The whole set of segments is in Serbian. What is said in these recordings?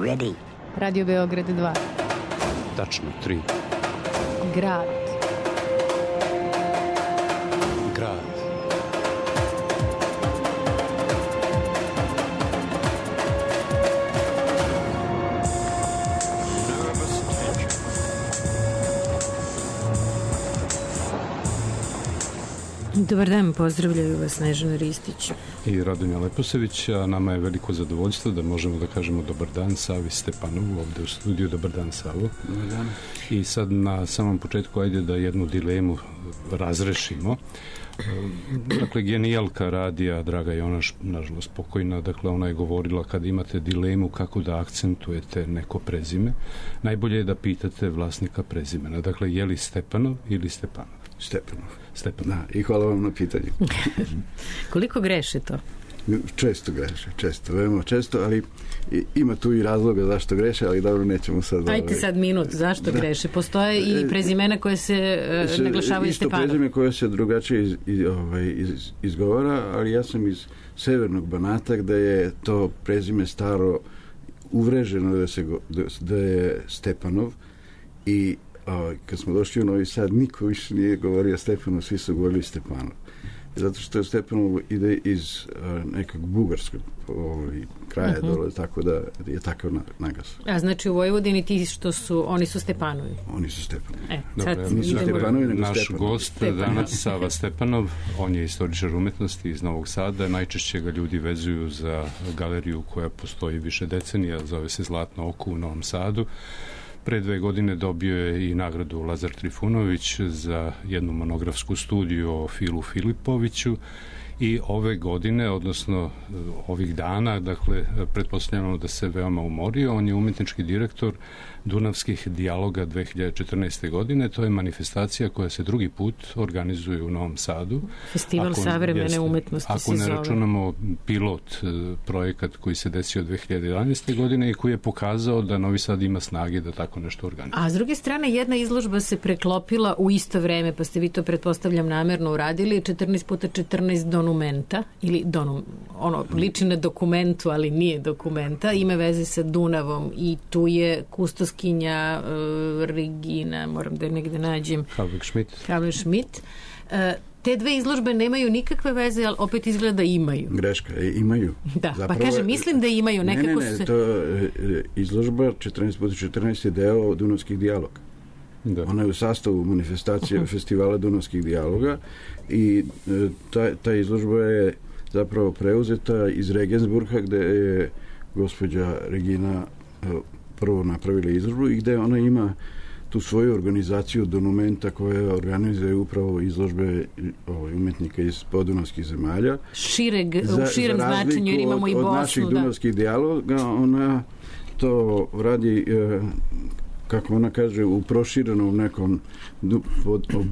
ready. Radio Beograd 2. Tačno 3. Grad. Grad. Dobar dan, pozdravljaju vas Snežana Ristić i Radonja Leposević, a nama je veliko zadovoljstvo da možemo da kažemo dobar dan Savi Stepanovu ovde u studiju. Dobar dan, Savo. Dobar dan. I sad na samom početku ajde da jednu dilemu razrešimo. Dakle, genijalka radija Draga Jonaš, nažalost pokojna, dakle ona je govorila kad imate dilemu kako da akcentujete neko prezime, najbolje je da pitate vlasnika prezimena. Dakle, je li Stepanov ili Stepanov? Stepanov. Stepanov. Da, i hvala vam na pitanju. Koliko greše to? Često greše, često, veoma često, ali ima tu i razloga zašto greše, ali dobro, nećemo sad... Ajte sad minut, zašto greše? Postoje i prezimena koje se naglašavaju Stepanov. Isto prezime koje se drugačije izgovara, ali ja sam iz severnog Banata, gde je to prezime staro uvreženo da je Stepanov, i kad smo došli u Novi Sad, niko više nije govorio Stepanov, svi su govorili Stepanov. Zato što je Stepanov ide iz nekog bugarskog kraja dole, tako da je takav naglas. A znači u Vojvodini ti što su, oni su Stepanovi? Oni su Stepanovi. Dobre, nisu Stepanovi, nego naš Stepanov. gost danas, Sava Stepanov, on je istoričar umetnosti iz Novog Sada. Najčešće ga ljudi vezuju za galeriju koja postoji više decenija, zove se Zlatno oko u Novom Sadu. Pre 2 godine dobio je i nagradu Lazar Trifunović za jednu monografsku studiju o Filu Filipoviću, i ove godine, odnosno ovih dana, dakle, pretpostavljamo da se veoma umorio. On je umetnički direktor Dunavskih dijaloga 2014. godine. To je manifestacija koja se drugi put organizuje u Novom Sadu. Festival savremene umetnosti se zove. Ako ne računamo pilot projekat koji se desio 2011. godine i koji je pokazao da Novi Sad ima snage da tako nešto organizuje. A s druge strane, jedna izložba se preklopila u isto vreme, pa ste vi to, pretpostavljam, namerno uradili, 14x14 donumenta, ili ono liči na dokumentu, ali nije dokumenta, ima veze sa Dunavom, i tu je kustoskinja Regina, moram da je negde nađem, Havle-Schmidt. Te dve izložbe nemaju nikakve veze, ali opet izgleda da imaju. Greška, imaju. Da, zapravo, pa kažem, mislim da imaju. Nekako ne, to izložba 14x14 je deo Dunavskih dijaloga. Da. Ona je u sastavu manifestacije festivala Dunavskih dijaloga, i ta izložba je zapravo preuzeta iz Regensburga, gde je gospođa Regina prvo napravila izložbu i gde ona ima tu svoju organizaciju Donumenta koja organizuje upravo izložbe umetnika iz podunavskih zemalja. U širem značenju, jer imamo i Bosnu. Od naših dunavskih dijaloga, ona to radi, kako ona kaže, u proširenom nekom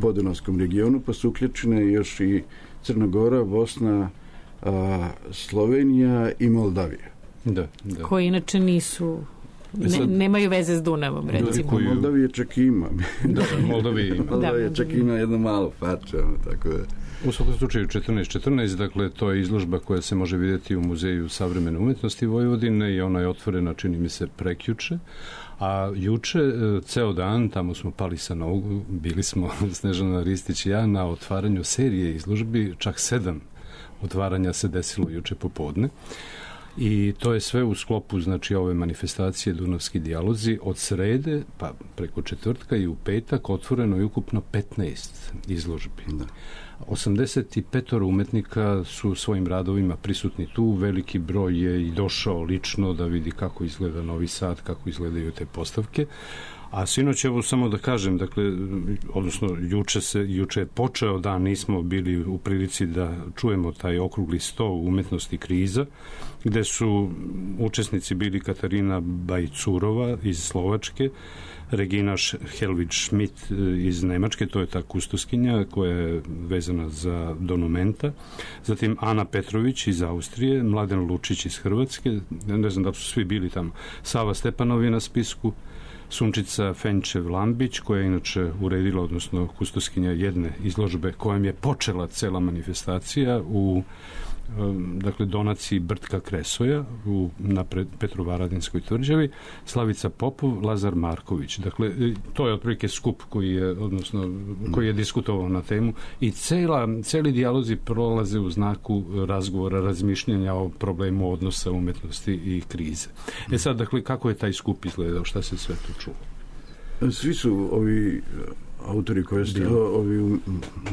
podunavskom regionu, pa su uključene još i Crna Gora, Bosna, Slovenija i Moldavija. Da. Koji inače nisu... nemaju veze s Dunavom, recimo. Moldavije čak ima. Moldavije čak ima jedno malo parče, tako da... U svakom slučaju 1414, dakle, to je izložba koja se može vidjeti u Muzeju savremene umetnosti Vojvodine, i ona je otvorena, čini mi se, prekjuče. A juče, ceo dan, tamo smo pali sa nogu, bili smo, Snežana Ristić i ja, na otvaranju serije izložbi, čak 7 otvaranja se desilo juče popodne. I to je sve u sklopu, znači, ove manifestacije Dunavski dijalozi. Od srede pa preko četvrtka i u petak otvoreno je ukupno 15 izložbi. 85 umetnika su svojim radovima prisutni tu. Veliki broj je i došao lično da vidi kako izgleda Novi Sad, kako izgledaju te postavke. A sinoć, evo samo da kažem, dakle, odnosno juče je počeo dan, nismo bili u prilici da čujemo taj okrugli sto umetnosti kriza, gde su učesnici bili Katarina Bajcurova iz Slovačke, Regina Helwig-Schmidt iz Nemačke, to je ta kustoskinja koja je vezana za Donumenta, zatim Ana Petrović iz Austrije, Mladen Lučić iz Hrvatske, ne znam da su svi bili tamo, Sava Stepanov je na spisku, Sunčica Fenčev-Lambić, koja je inače uredila, odnosno kustoskinja jedne izložbe kojom je počela cela manifestacija u dakle donaciji Brtka Kresoja na Petrovaradinskoj tvrđavi, Slavica Popov, Lazar Marković. Dakle, to je otprilike skup koji je diskutovao na temu i celi dijalozi prolaze u znaku razgovora, razmišljanja o problemu odnosa umetnosti i krize. Sad, dakle, kako je taj skup izgledao, šta se sve tu čulo? Svi su ovi autori koji ste, ovi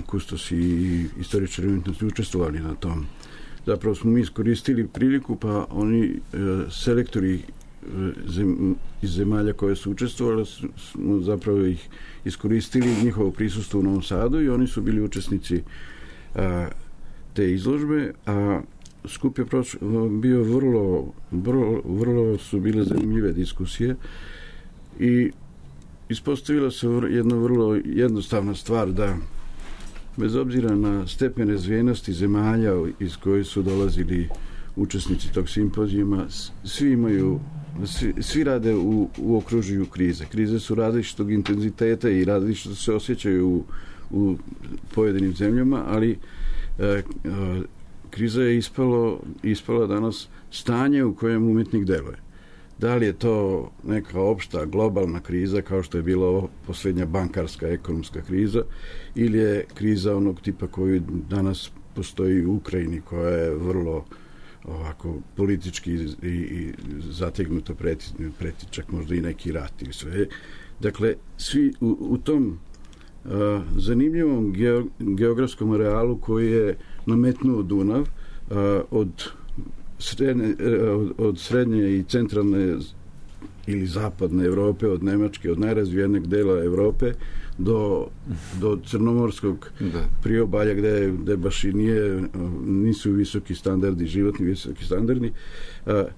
kustosi i istoričari umetnosti učestvovali na tom. Zapravo smo mi iskoristili priliku, pa oni selektori iz zemalja koje su učestvovali smo zapravo ih iskoristili njihovo prisustvo u Novom Sadu i oni su bili učesnici te izložbe, a skup je bio vrlo su bile zanimljive diskusije i ispostavila se jedna vrlo jednostavna stvar, da bez obzira na stepen razvijenosti zemalja iz koje su dolazili učesnici tog simpozijuma, svi rade u okružju krize. Krize su različitog intenziteta i različito se osjećaju u pojedinim zemljama, ali kriza je ispala danas stanje u kojem umetnik deluje. Da li je to neka opšta globalna kriza kao što je bila posljednja bankarska ekonomska kriza ili je kriza onog tipa koji danas postoji u Ukrajini, koja je vrlo ovako politički i zategnuto preti čak možda i neki rat ili sve. Dakle, svi u tom zanimljivom geografskom realu koji je nametnuo Dunav od srednje i centralne ili zapadne Evrope, od Nemačke, od najrazvijenijeg dela Evrope do crnomorskog priobalja gde baš i nisu visoki standardi, životni visoki standardi.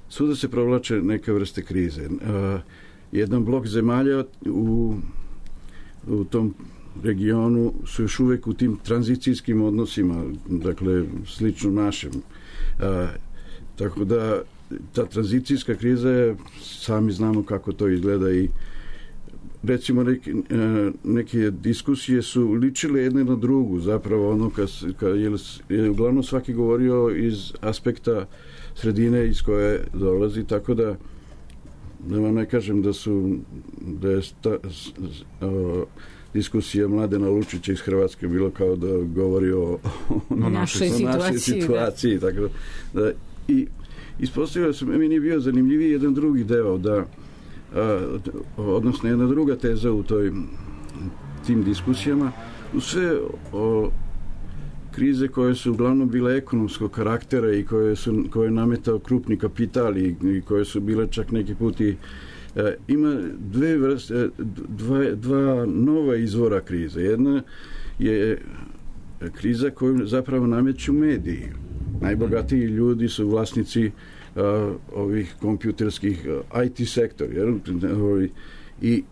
Svuda se provlače neke vrste krize. Jedan blok zemalja u tom regionu su još uvek u tim tranzicijskim odnosima, dakle slično našem. Tako da ta tranzicijska kriza je, sami znamo kako to izgleda i recimo neke diskusije su ličile jedne na drugu, zapravo ono je uglavnom svaki govorio iz aspekta sredine iz koje dolazi, tako da vam ne kažem da je diskusija Mladena Lučića iz Hrvatske bilo kao da govori o našoj situaciji. Tako da, i ispostavilo se, meni je bio zanimljiviji jedan drugi deo, odnosno jedna druga teza u tim diskusijama, u sve krize koje su uglavnom bile ekonomskog karaktera i koje je nametao krupni kapital i koje su bile čak neki put ima dva nova izvora krize. Jedna je kriza koju zapravo nameću mediji. Najbogatiji ljudi su vlasnici ovih kompjuterskih IT sektor. I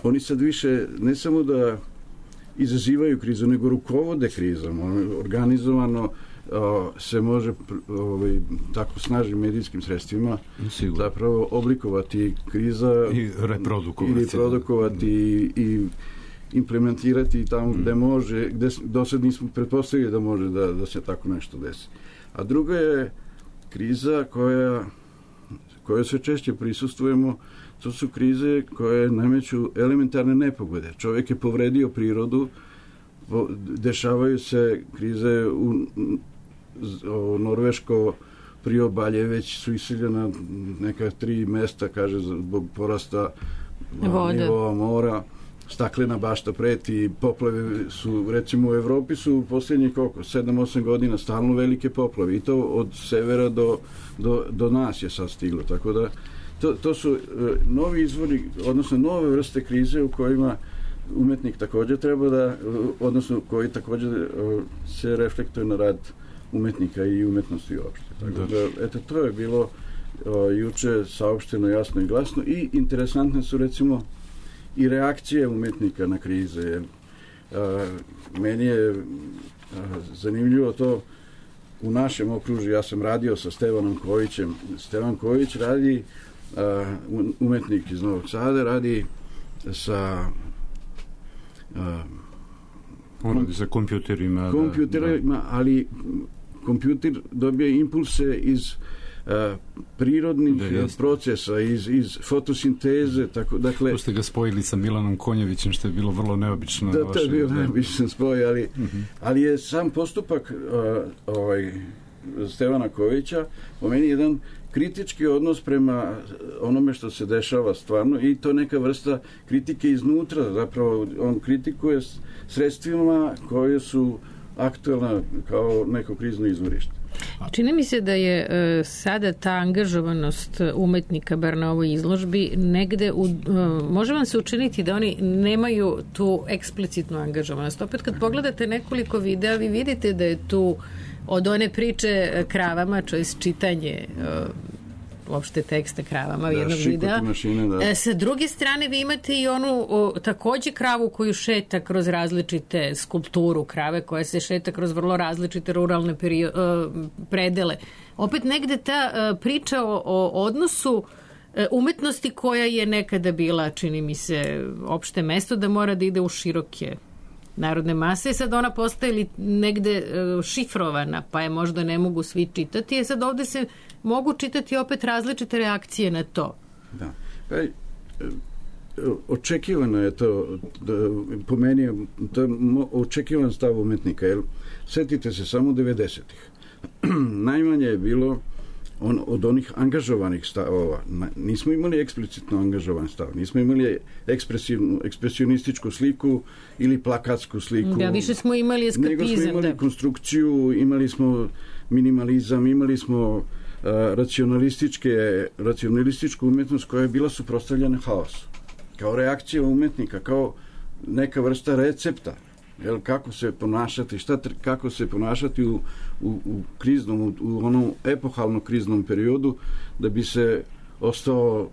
oni sad više ne samo da izazivaju krizu, nego rukovode krizom. Organizovano se može tako snažnim medijskim sredstvima zapravo oblikovati kriza i reprodukovati i implementirati tamo gde može, gde do sad nismo pretpostavili da može da se tako nešto desi. A druga je kriza koje sve češće prisustvujemo, to su krize koje nameću elementarne nepogode. Čovjek je povredio prirodu, dešavaju se krize u Norveško priobalje, već su iseljena neka 3 mesta, kaže, zbog porasta nivoa mora, staklena bašta preti, poplave su, recimo u Evropi su u posljednjih 7-8 godina stalno velike poplave i to od severa do nas je sad stiglo, tako da to su novi izvori, odnosno nove vrste krize u kojima umetnik također treba odnosno koji također se reflektuje na rad umetnika i umetnosti uopšte. Tako da, eto, to je bilo juče saopšteno jasno i glasno i interesantne su recimo i reakcije umetnika na krize. Meni je zanimljivo to u našem okružju, ja sam radio sa Stevanom Kojićem. Stevan Kojić radi, umetnik iz Novog Sada, radi sa on radi sa kompjuterima, ali kompjuter dobije impulse iz prirodnih procesa, iz fotosinteze. Dakle, tu ste ga spojili sa Milanom Konjevićem, što je bilo vrlo neobično. Da, to je bilo neobičan spoj, ali je sam postupak Stevana Kovića po meni jedan kritički odnos prema onome što se dešava stvarno i to neka vrsta kritike iznutra. Zapravo on kritikuje sredstvima koje su aktualna kao neko krizno izvorište. Čini mi se da je sada ta angažovanost umetnika, bar na ovoj izložbi, negde može vam se učiniti da oni nemaju tu eksplicitnu angažovanost. Opet kad pogledate nekoliko videa, vi vidite da je tu od one priče kravama, to je čitanje uopšte teksta kravama jednog videa. Sa druge strane vi imate i onu takođe kravu koju šeta kroz različite skulpturu krave, koja se šeta kroz vrlo različite ruralne predele. Opet negde ta priča o odnosu umetnosti koja je nekada bila, čini mi se, opšte mesto da mora da ide u široke narodne mase, sad ona postaje negde šifrovana, pa je možda ne mogu svi čitati, sad ovde se mogu čitati opet različite reakcije na to. Da. Očekivano je to, po meni je to očekivan stav umetnika, jer setite se samo 90-ih. Najmanje je bilo od onih angažovanih stavova. Nismo imali eksplicitno angažovan stav, nismo imali ekspresionističku sliku ili plakatsku sliku. Da, više smo imali eskapizam. Nego smo imali konstrukciju, imali smo minimalizam, imali smo racionalističku umetnost koja je bila suprotstavljena haosu. Kao reakcija umetnika, kao neka vrsta recepta. Kako se ponašati, kako se ponašati u kriznom, u onom epohalnom kriznom periodu da bi se ostao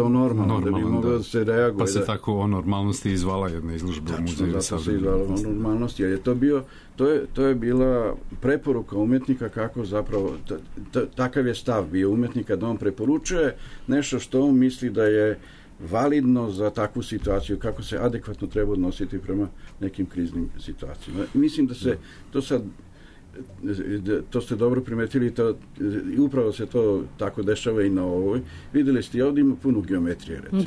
normalno, da bi moglo da se reaguje. Pa se tako o normalnosti izvala jedna izložba u muzeju. Tačno, se izvala o normalnosti, jer je to bio, to je bila preporuka umetnika kako zapravo, takav je stav bio umetnika da on preporučuje nešto što on misli da je validno za takvu situaciju, kako se adekvatno treba odnositi prema nekim kriznim situacijama. Mislim da se to sad, to ste dobro primetili, i upravo se to tako dešava i na ovoj. Videli ste, ovdje ima puno geometrije, recimo.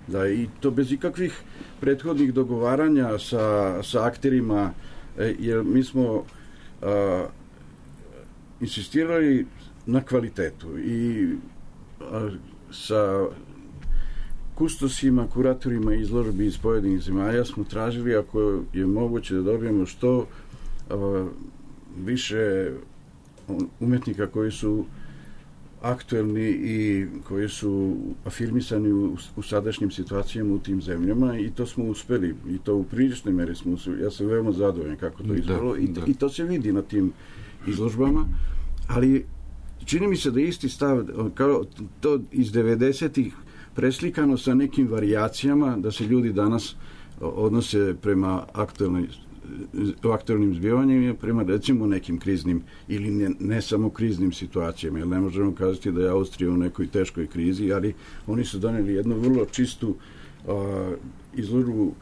Da, i to bez ikakvih prethodnih dogovaranja sa akterima, jer mi smo insistirali na kvalitetu i sa kustosima, kuratorima izložbi iz pojedinih zemalja smo tražili, ako je moguće, da dobijemo što više umetnika koji su aktuelni i koji su afirmisani u sadašnjim situacijama u tim zemljama, i to smo uspeli, i to u priličnoj meri smo uspeli. Ja sam veoma zadovoljan kako to izgledalo i to se vidi na tim izložbama, ali čini mi se da isti stav kao to iz 90-ih preslikano sa nekim varijacijama, da se ljudi danas odnose prema aktualnim zbivanjima, prema recimo nekim kriznim ili ne samo kriznim situacijama, jer ne možemo kazati da je Austrija u nekoj teškoj krizi, ali oni su doneli jednu vrlo čistu izložbu,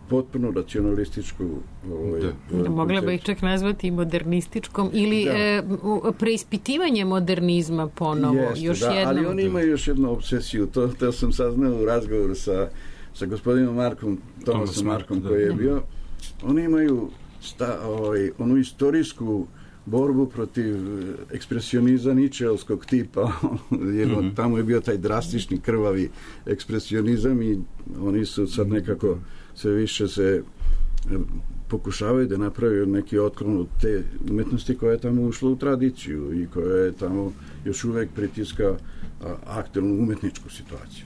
potpuno racionalističku. Mogla bi ih čak nazvati modernističkom ili preispitivanje modernizma ponovo. Ali oni imaju još jednu obsesiju, to sam saznao u razgovoru sa gospodinom Tomasom Markom koji je bio. Oni imaju onu istorijsku borbu protiv ekspresionizma ničeovskog tipa, jer tamo je bio taj drastični krvavi ekspresionizam i oni su sad nekako sve više se pokušavaju da napravaju neki otklon od te umetnosti koja je tamo ušla u tradiciju i koja je tamo još uvek pritiska aktualnu umetničku situaciju.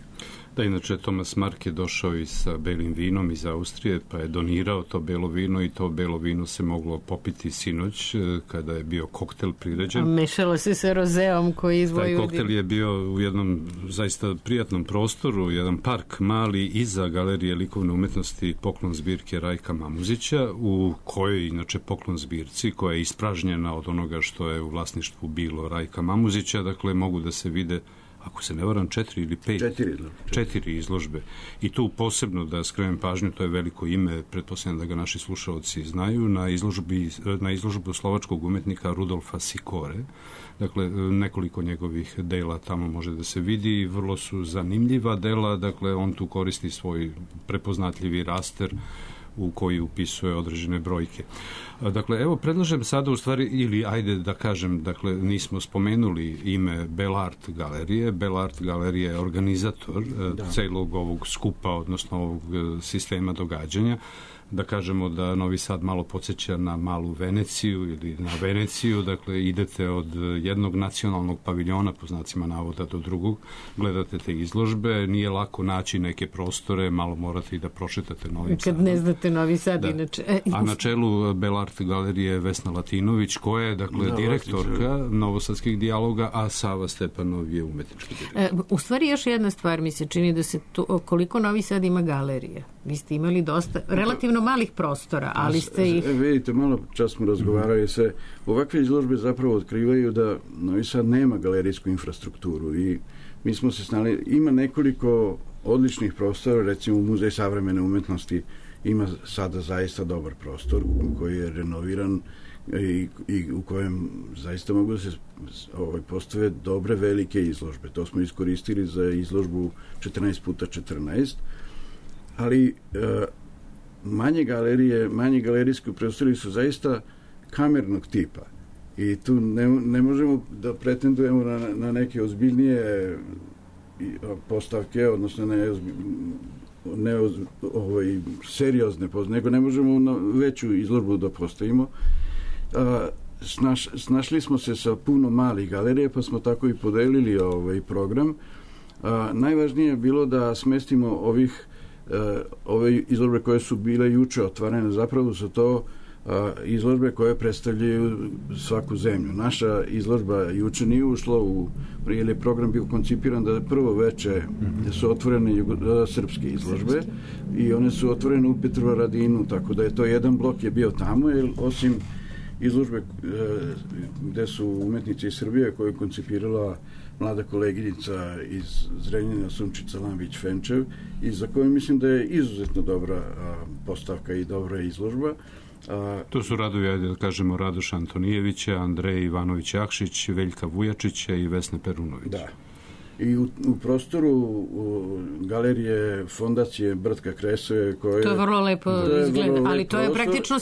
Da, inače, Tomas Mark je došao i sa belim vinom iz Austrije, pa je donirao to belo vino i to belo vino se moglo popiti sinoć kada je bio koktel priređen. Mešalo se sa rozeom koji iz Vojvodine. Taj koktel je bio u jednom zaista prijatnom prostoru, jedan park mali iza Galerije likovne umetnosti Poklon zbirke Rajka Mamuzića, u kojoj inače Poklon zbirci, koja je ispražnjena od onoga što je u vlasništvu bilo Rajka Mamuzića, dakle mogu da se vide ako se ne varam, 4 ili 5. 4 izložbe. I tu posebno da skrenem pažnju, to je veliko ime, pretpostavljam da ga naši slušalci znaju, na izložbu slovačkog umetnika Rudolfa Sikore. Dakle, nekoliko njegovih dela tamo može da se vidi, vrlo su zanimljiva dela, dakle, on tu koristi svoj prepoznatljivi raster u koji upisuje određene brojke. Dakle, evo, predlažem sada u stvari, ili ajde da kažem, dakle, nismo spomenuli ime Belart galerije. Belart galerija je organizator celog ovog skupa, odnosno ovog sistema događanja. Da kažemo da Novi Sad malo podsjeća na malu Veneciju ili na Veneciju, dakle idete od jednog nacionalnog paviljona, po znacima navoda, do drugog, gledate te izložbe, nije lako naći neke prostore, malo morate i da prošetate Novim Sadom. Kad ne znate Novi Sad, inače. A na čelu Belart galerije Vesna Latinović, koja je, dakle, direktorka Novosadskih dijaloga, a Sava Stepanov je umetnički direktor. U stvari, još jedna stvar mi se čini da se koliko Novi Sad ima galerija. Vi ste imali dosta, relativno malih prostora, ali ste ih... Vidite, malo čas smo razgovarali se. Ovakve izložbe zapravo otkrivaju da Novi Sad nema galerijsku infrastrukturu i mi smo se snali... Ima nekoliko odličnih prostora, recimo Muzej savremene umetnosti ima sada zaista dobar prostor koji je renoviran i u kojem zaista mogu da se postave dobre velike izložbe. To smo iskoristili za izložbu 14x14, ali manje galerije, manji galerijski prostori su zaista kamernog tipa i tu ne možemo da pretendujemo na neke ozbiljnije postavke, odnosno seriozne, nego ne možemo na veću izložbu da postavimo. Snašli smo se sa puno malih galerije, pa smo tako i podelili ovaj program. Najvažnije je bilo da smestimo ove izložbe koje su bile juče otvorene, zapravo su to izložbe koje predstavljaju svaku zemlju. Naša izložba juče nije ušla jer je program bio koncipiran da prvo veče su otvorene srpske izložbe i one su otvorene u Petrovaradinu, tako da je to jedan blok je bio tamo, jer osim izložbe gde su umetnici iz Srbije koju je koncipirala mlada koleginica iz Zrenjanina Sunčica Lambić-Fenčev i za koju mislim da je izuzetno dobra postavka i dobra izložba. To su radovi, ajde da kažemo, Radoša Antonijevića, Andreja Ivanović-Jakšić, Veljka Vujačića i Vesne Perunović. Da. I u prostoru galerije Fondacije Bratka Kresove koje... To je vrlo lepo izgleda, ali to je praktično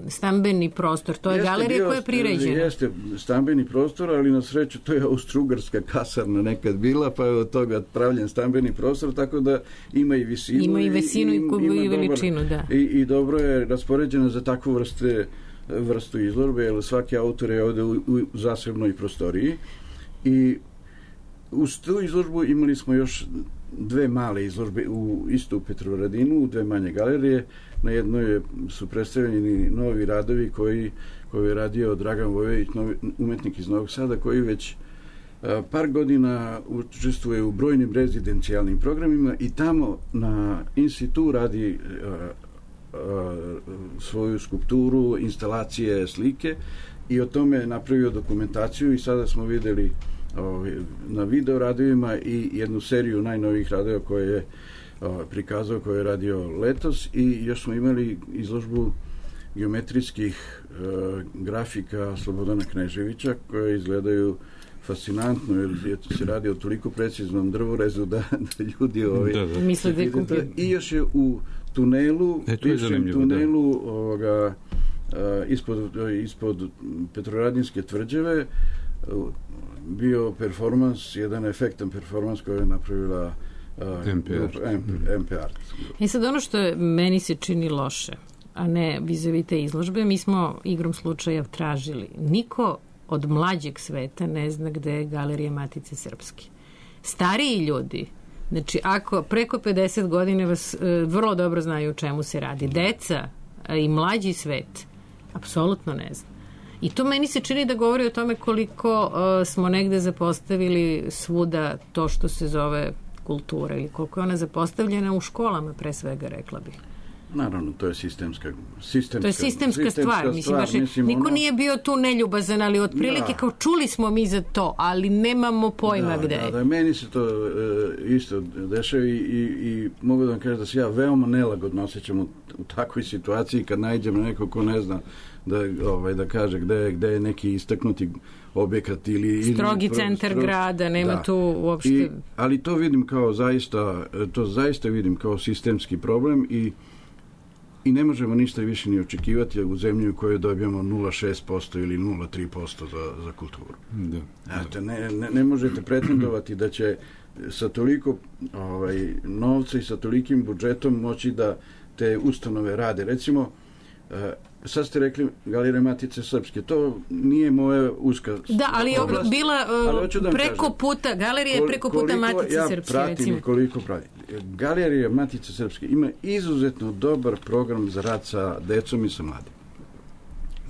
stambeni prostor. To je galerija koja je priređena. Jeste stambeni prostor, ali na sreću to je austrougarska kasarna nekad bila, pa je od toga pravljen stambeni prostor, tako da ima i visinu. Ima i visinu i veličinu, da. I dobro je raspoređena za takvu vrstu izložbe, jer svaki autor je ovde u zasebnoj prostoriji. I uz tu izložbu imali smo još dve male izložbe isto u Petrovaradinu, u dve manje galerije. Na jednoj su predstavljeni novi radovi koji je radio Dragan Vojović, umetnik iz Novog Sada, koji već par godina učestvuje u brojnim rezidencijalnim programima i tamo na institutu radi svoju skulpturu, instalacije, slike i o tome je napravio dokumentaciju i sada smo videli na video radovima i jednu seriju najnovijih radova koje je prikazao, koje je radio letos i još smo imali izložbu geometrijskih grafika Slobodana Kneževića koje izgledaju fascinantno jer se radi o toliko preciznom drvorezu da ljudi misle da je komplet. I još je u tunelu ispod Petrovaradinske tvrđave bio performans, jedan efektan performans koji je napravila MP Art. I sad ono što meni se čini loše, a ne vis-a-vis te izložbe, mi smo igrom slučaja tražili. Niko od mlađeg sveta ne zna gde je Galerija Matice Srpske. Stariji ljudi, znači ako preko 50 godina vas vrlo dobro znaju o čemu se radi. Deca i mlađi svet apsolutno ne zna. I to meni se čini da govori o tome koliko smo negde zapostavili svuda to što se zove kultura ili koliko je ona zapostavljena u školama, pre svega, rekla bih. Naravno, to je sistemska stvar. Mislim, niko nije bio tu neljubazan, ali otprilike kao čuli smo mi za to, ali nemamo pojma gde je. Da, meni se to isto dešava i mogu da vam kažem da se ja veoma nelagodno osjećam u takvoj situaciji kad nađem na nekog ko ne zna da kaže gde je neki istaknuti objekat ili strogi centar grada, nema tu uopšte. Ali to vidim kao zaista vidim kao sistemski problem i ne možemo ništa više ni očekivati u zemlji u kojoj dobijamo 0,6% ili 0,3% za kulturu. Ne možete pretendovati da će sa toliko novca i sa tolikim budžetom moći da te ustanove rade. Recimo, sad ste rekli Galerija Matice Srpske, to nije moja uska... Da, ali je bila preko puta, galerija je preko puta Matice Srpske, recimo. Koliko pratim. Galerija Matice Srpske ima izuzetno dobar program za rad sa decom i sa mladim.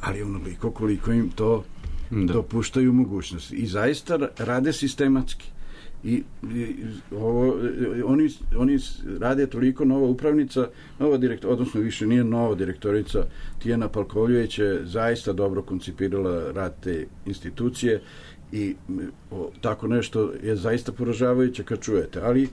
Ali onoliko koliko im to dopuštaju mogućnosti. I zaista rade sistematski. I oni rade toliko, nova upravnica, odnosno više nije nova direktorica, Tijana Palkovljević je zaista dobro koncipirala rad te institucije i tako nešto je zaista poražavajuće kad čujete, ali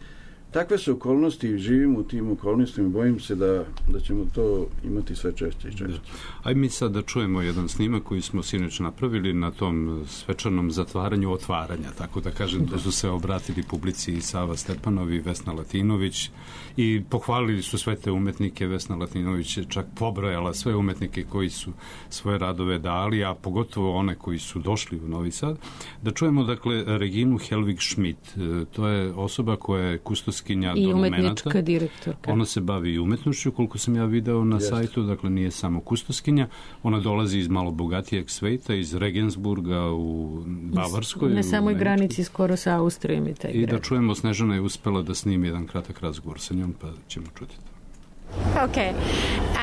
takve su okolnosti, živimo u tim okolnostima, bojim se da ćemo to imati sve češće i češće. Ajde mi sad da čujemo jedan snimak koji smo sinoć napravili na tom svečanom zatvaranju otvaranja, tako da kažem, da su se obratili publici i Sava Stepanov i Vesna Latinović i pohvalili su sve te umetnike. Vesna Latinović je čak pobrojala sve umetnike koji su svoje radove dali, a pogotovo one koji su došli u Novi Sad. Da čujemo, dakle, Reginu Helvig Schmidt. To je osoba koja je kustoskinja i umetnička direktorka. Ona se bavi i umetnošću, koliko sam ja video na sajtu, dakle nije samo kustoskinja. Ona dolazi iz malo bogatijeg sveta, iz Regensburga u Bavarskoj. Na samoj granici skoro sa Austrijom i taj grad. I da čujemo, Snežana je uspela da snimi jedan kratak razgovor sa njom, pa ćemo čuti to. Okay.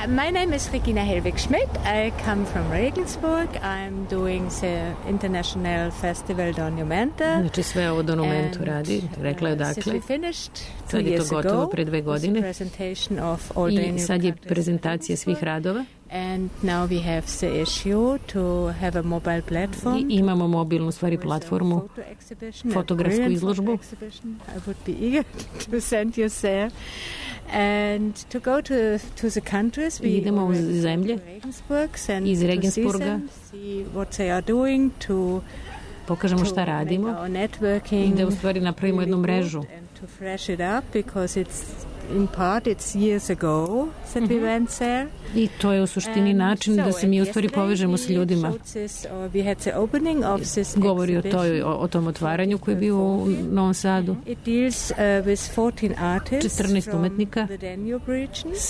My name is Regina Helvig Schmidt. I come from Regensburg. I'm doing the International Festival Donumenta. Znači sve ovo Donumentu radi. Rekla je dakle. Sad je to gotovo pre 2 godine. I sad je prezentacija svih radova. And now we have the issue to have a mobile platform. I imamo mobilnu stvari platformu, fotografsku izložbu. I would be eager to send you there. And to go to the countries, idemo u zemlje iz Regensburga, pokažemo šta radimo i da u stvari napravimo jednu mrežu. In part it's years ago that we went there. I to je u suštini način da se mi u stvari povežemo s ljudima. Govori o tom otvaranju koji je bio u Novom Sadu. 14 umetnika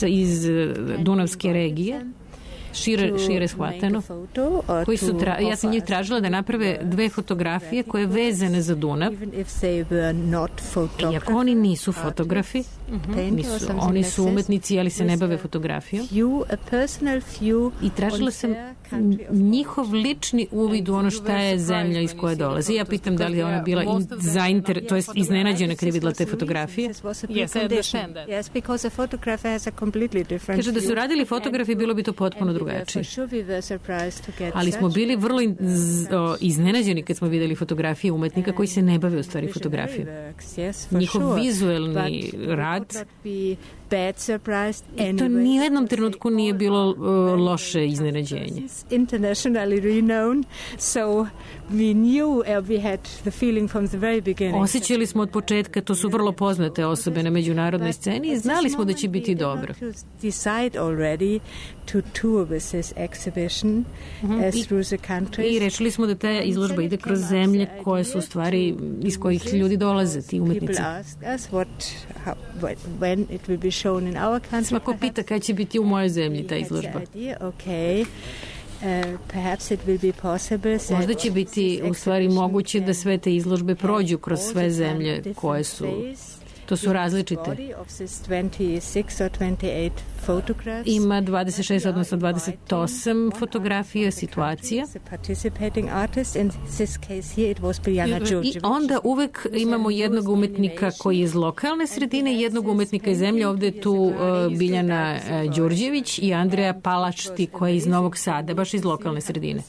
iz Dunavske regije, šire shvateno, koji su ja sam njih tražila da naprave 2 fotografije koje je vezane za Dunav. Iako oni nisu fotografi, oni su umetnici, ali se ne bave fotografijom. I tražila sam njihov lični uvid u ono šta je zemlja iz koje dolazi. Ja pitam da li je ona bila to jest iznenađena kad je videla te fotografije. Kaže da su radili fotografi, bilo bi to potpuno drugačije. Ali smo bili vrlo iznenađeni kad smo videli fotografije umetnika koji se ne bave u stvari fotografijom. Njihov vizuelni rad i to ni u jednom trenutku nije bilo loše iznenađenje. Osjećali smo od početka, to su vrlo poznate osobe na međunarodnoj sceni i znali smo da će biti dobro. I rečili smo da ta izložba ide kroz zemlje koje su u stvari iz kojih ljudi dolaze, ti umetnici. Svako pita kada će biti u mojoj zemlji ta izložba. Možda će biti u stvari moguće da sve te izložbe prođu kroz sve zemlje koje su To su različite. Ima 26, odnosno 28 fotografija, situacija. I onda uvek imamo jednog umetnika koji je iz lokalne sredine i jednog umetnika iz zemlje. Ovde je tu Biljana Đurđević i Andreja Palačti koja je iz Novog Sada, baš iz lokalne sredine.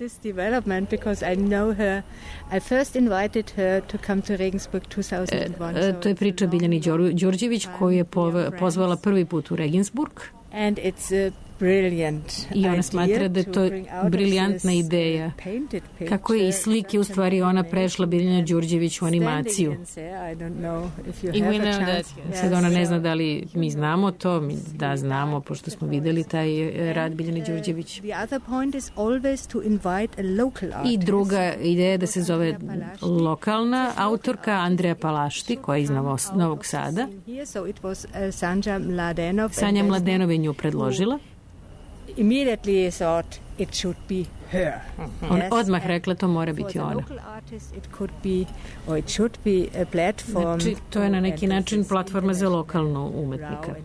To je priča Biljani Đurđević koju je pozvala prvi put u Regensburg. I ona smatra da je to briljantna ideja. Kako je iz slike u stvari ona prešla Biljana Đurđević u animaciju. Sad ona ne zna da li mi znamo to, da znamo, pošto smo videli taj rad Biljane Đurđević. I druga ideja je da se zove lokalna autorka Andreja Palašti, koja je iz Novog Sada. Sanja Mladenov je nju predložila. Immediately thought it should be her. On odmah rekla to mora biti ona. Znači, to je na neki način platforma za lokalnu umetnika.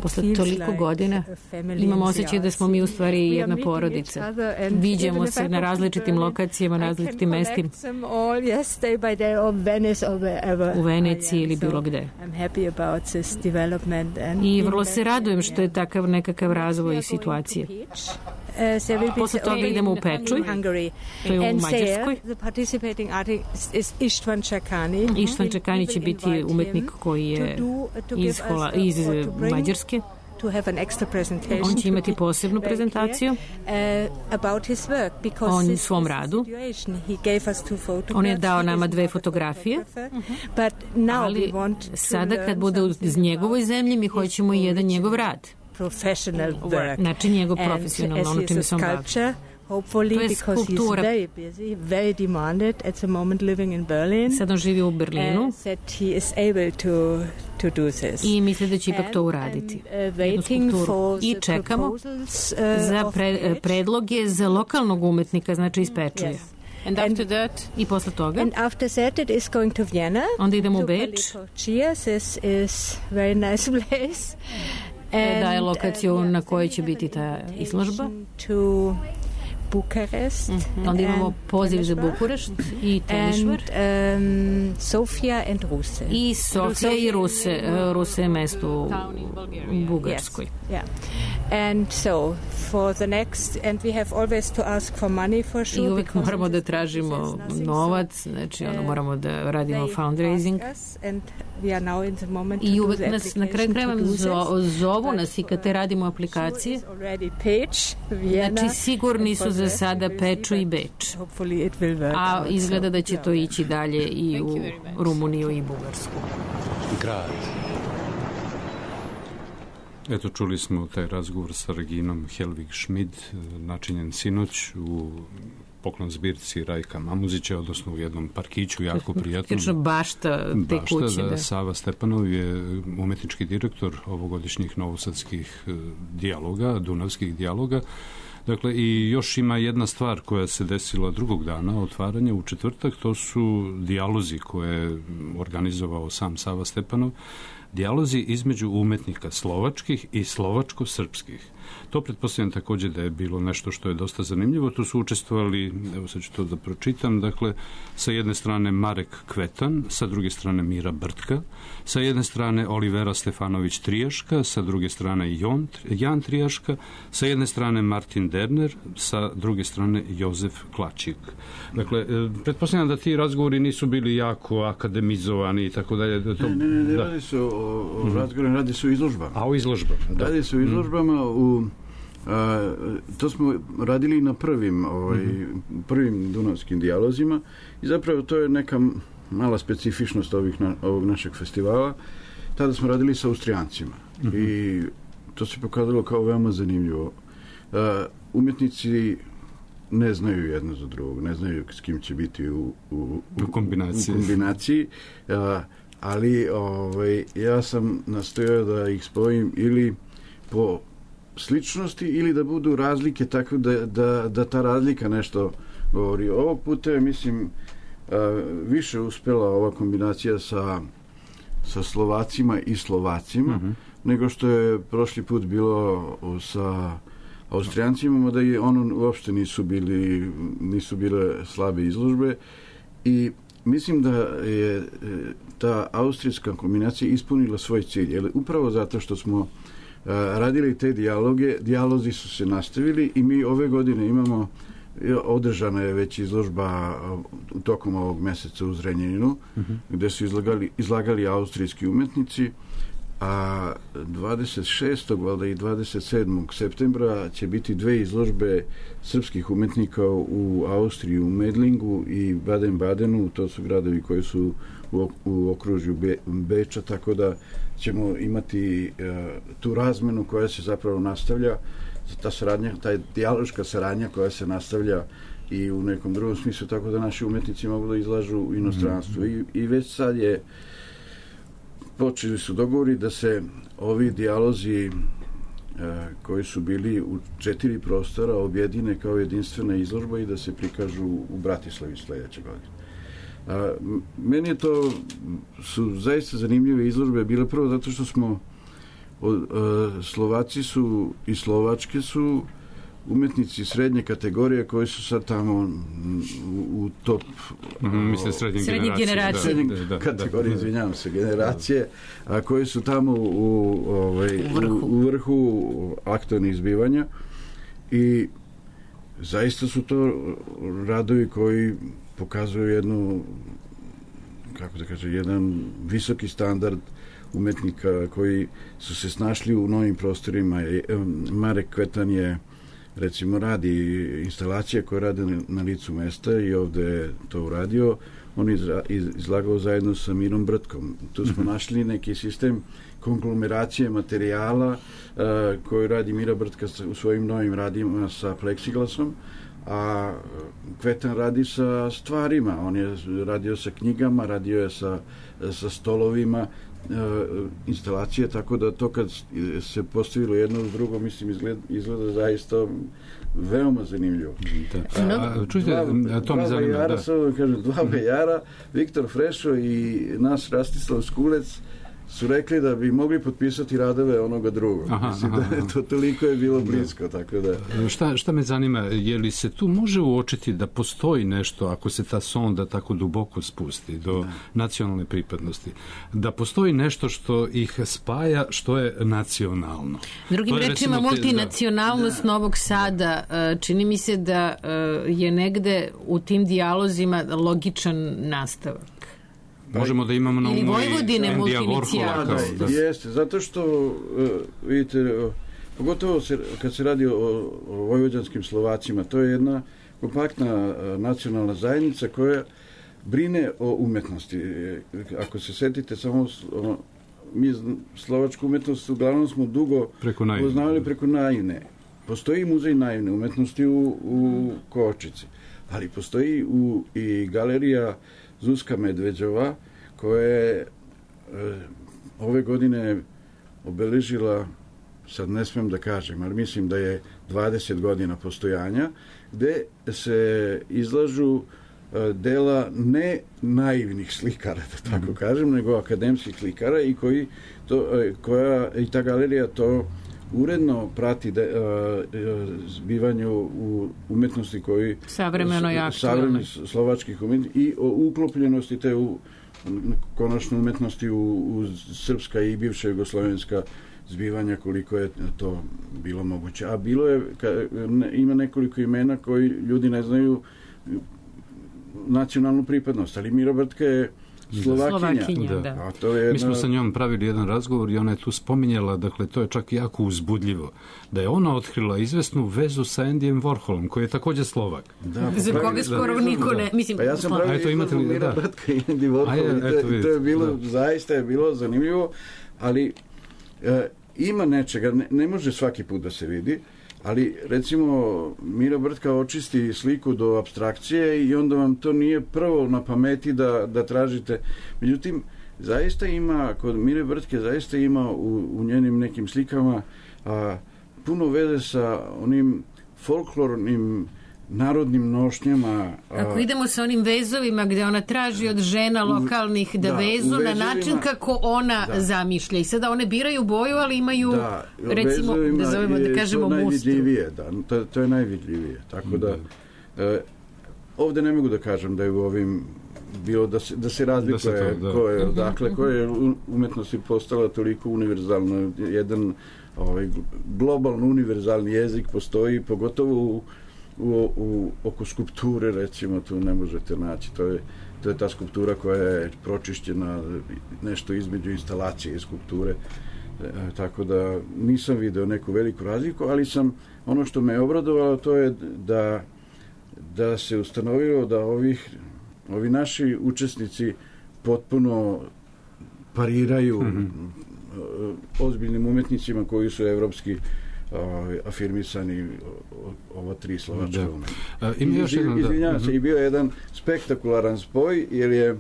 Posle toliko godina imamo osjećaj da smo mi u stvari jedna porodica. Viđamo se na različitim lokacijama, na različitim mestima. U Veneciji ili bilo gde. I vrlo se radujem što je takav nekakav razvoj i situacije. Posle toga idemo u Pečuj, to je u Mađarskoj. Ištvan Čakani će biti umetnik koji je iz Mađarske. On će imati posebnu prezentaciju o svom radu. On je dao nama 2 fotografije, ali sada kad bude iz njegovoj zemlji mi hoćemo i jedan njegov rad. Znači njegov profesionalno, ono čime se on bavi. To je skulptura. Sad on živi u Berlinu i misli da će ipak to uraditi. Jednu skulpturu. I čekamo za predloge za lokalnog umetnika, znači iz Pečuja. I posle toga onda idemo u Beč. Daje lokaciju na kojoj će biti ta izložba. Bukarest. Onda imamo poziv za Bukurešt i Temišvar. Sofia and Ruse. I Sofija i Ruse. Ruse je mesto u Bugarskoj. Yeah. And so for the next, and we have always to ask for money for sure. I uvek moramo da tražimo novac, znači moramo da radimo fundraising. I uvek nas na kraju krajeva zovu nas i kad te radimo aplikacije. Znači sigurni su za sada Peču i Beč. A izgleda da će to ići dalje i u Rumuniju i Bugarsku. Grad. Eto, čuli smo taj razgovor sa Reginom Helvig Schmid, načinjen sinoć u poklon zbirci Rajka Mamuzića, odnosno u jednom parkiću, jako prijatnom. Bašta te kuće. Da. Sava Stepanov je umetnički direktor ovogodišnjih novosadskih dijaloga, dunavskih dijaloga. Dakle, i još ima jedna stvar koja se desila drugog dana otvaranja u četvrtak, to su dijalozi koje je organizovao sam Sava Stepanov, dijalozi između umetnika slovačkih i slovačko-srpskih. To pretpostavljam također da je bilo nešto što je dosta zanimljivo. Tu su učestvovali, evo sad ću to da pročitam, dakle, sa jedne strane Marek Kvetan, sa druge strane Mira Brtka, sa jedne strane Olivera Stefanović Trijaška, sa druge strane Jan Trijaška, sa jedne strane Martin Derner, sa druge strane Jozef Klačik. Dakle, pretpostavljam da ti razgovori nisu bili jako akademizovani i tako dalje. Ne, radi se o razgovorima, radi se o izložbama. A o izložbama, da. Radi se o izložbama to smo radili na prvim dunavskim dijalozima i zapravo to je neka mala specifičnost ovog našeg festivala. Tada smo radili sa Austrijancima i to se pokazalo kao veoma zanimljivo. Umjetnici ne znaju jedno za drugog, ne znaju s kim će biti u kombinaciji, ali ja sam nastojao da ih spojim ili po sličnosti ili da budu razlike tako da ta razlika nešto govori. Ovog puta je, mislim, više uspela ova kombinacija sa Slovacima i Slovacima, nego što je prošli put bilo sa Austrijancima, mada i ono uopšte nisu bile slabe izložbe i mislim da je ta austrijska kombinacija ispunila svoj cilj, jer upravo zato što smo radili te dijalozi su se nastavili i mi ove godine imamo, održana je već izložba tokom ovog meseca u Zrenjaninu, gde su izlagali austrijski umetnici, a 26. valjda i 27. septembra će biti 2 izložbe srpskih umetnika u Austriji, u Medlingu i Baden-Badenu, to su gradovi koji su u okružju Beča, tako da ćemo imati tu razmenu koja se zapravo nastavlja, ta saradnja, ta dijaloška saradnja koja se nastavlja i u nekom drugom smislu, tako da naši umetnici mogu da izlažu u inostranstvu. I već sad počeli su dogovori da se ovi dijalozi koji su bili u 4 prostora objedine kao jedinstvena izložba i da se prikažu u Bratislavi sledeće godine. Meni su zaista zanimljive izložbe bile prvo zato što smo Slovaci su i Slovačke su umetnici srednje kategorije koji su sad tamo u top srednje generacije kategorije, izvinjavam se, generacije, a koji su tamo u vrhu aktualnih zbivanja i zaista su to radovi koji pokazuju jednu, kako da kažem, jedan visoki standard umetnika koji su se snašli u novim prostorima. Marek Kvetan je, recimo, radi instalacije koje rade na licu mesta i ovde je to uradio. On je izlagao zajedno sa Mirom Brtkom. Tu smo našli neki sistem konglomeracije materijala koju radi Mira Brtka u svojim novim radima sa pleksiglasom, a Kvetan radi sa stvarima. On je radio sa knjigama, radio je sa stolovima, instalacije, tako da to kad se postavilo jedno uz drugo, mislim, izgleda zaista veoma zanimljivo. Čujte, to me zanima. Dva vejara, Viktor Frešo i nas Rastislav Skulec su rekli da bi mogli potpisati radove onoga drugog. Mislim da to toliko je bilo blisko, tako da... Šta me zanima, je li se tu može uočiti da postoji nešto, ako se ta sonda tako duboko spusti do nacionalne pripadnosti, da postoji nešto što ih spaja, što je nacionalno? Drugim rečima, multinacionalnost Novog Sada, čini mi se da je negde u tim dijalozima logičan nastavak. Možemo da imamo na umu i Endija Warhola. Jeste, zato što vidite, pogotovo kad se radi o vojvođanskim Slovacima, to je jedna kompaktna nacionalna zajednica koja brine o umetnosti. Ako se setite, samo mi slovačku umetnost uglavnom smo dugo poznavali preko Naivne. Postoji muzej naivne umetnosti u Kovačici, ali postoji i galerija Zuzka Medveđova, koja je ove godine obeležila, sad ne smem da kažem, ali mislim da je 20 godina postojanja, gde se izlažu dela ne naivnih slikara, da tako kažem, nego akademskih slikara i koja i ta galerija to uredno prati zbivanju u umetnosti koji savremeno i aktualno slovačkih umetnosti i o uklopljenosti te konačno umetnosti u srpska i bivša jugoslovenska zbivanja, koliko je to bilo moguće. A bilo je, ima nekoliko imena koji ljudi ne znaju nacionalnu pripadnost, ali Mira Brtka je Slovakinja. Da. Mi smo sa njom pravili jedan razgovor i ona je tu spominjala, dakle, to je čak jako uzbudljivo, da je ona otkrila izvesnu vezu sa Endijem Warholom, koji je takođe Slovak. Za koga skoro niko ne... Pa ja sam pravio izvesnu Mira Brtka i Endi Warhol i to je bilo, zaista je bilo zanimljivo, ali ima nečega, ne može svaki put da se vidi, ali recimo Mira Brtka očisti sliku do apstrakcije i onda vam to nije prvo na pameti da tražite. Međutim, zaista ima, kod Mire Brtke zaista ima u njenim nekim slikama puno veze sa onim folklornim narodnim nošnjama. Ako idemo sa onim vezovima gde ona traži od žena lokalnih da vezu na način kako ona zamišlja. I sada one biraju boju, ali imaju, recimo, da zovemo, da kažemo mustru. To je najvidljivije. Tako da, ovde ne mogu da kažem da je u ovim bilo da se razlikuje koja je umetnost postala toliko univerzalno. Jedan globalno univerzalni jezik postoji, pogotovo oko skulpture, recimo, tu ne možete naći. To je ta skulptura koja je pročišćena nešto između instalacije i skulpture. Tako da nisam video neku veliku razliku, ali ono što me je obradovalo, to je da se ustanovilo da ovi naši učesnici potpuno pariraju ozbiljnim umetnicima koji su evropski afirmisani, ova 3 slovačka umetnika. Izvinjavam se, i bio je jedan spektakularan spoj, jer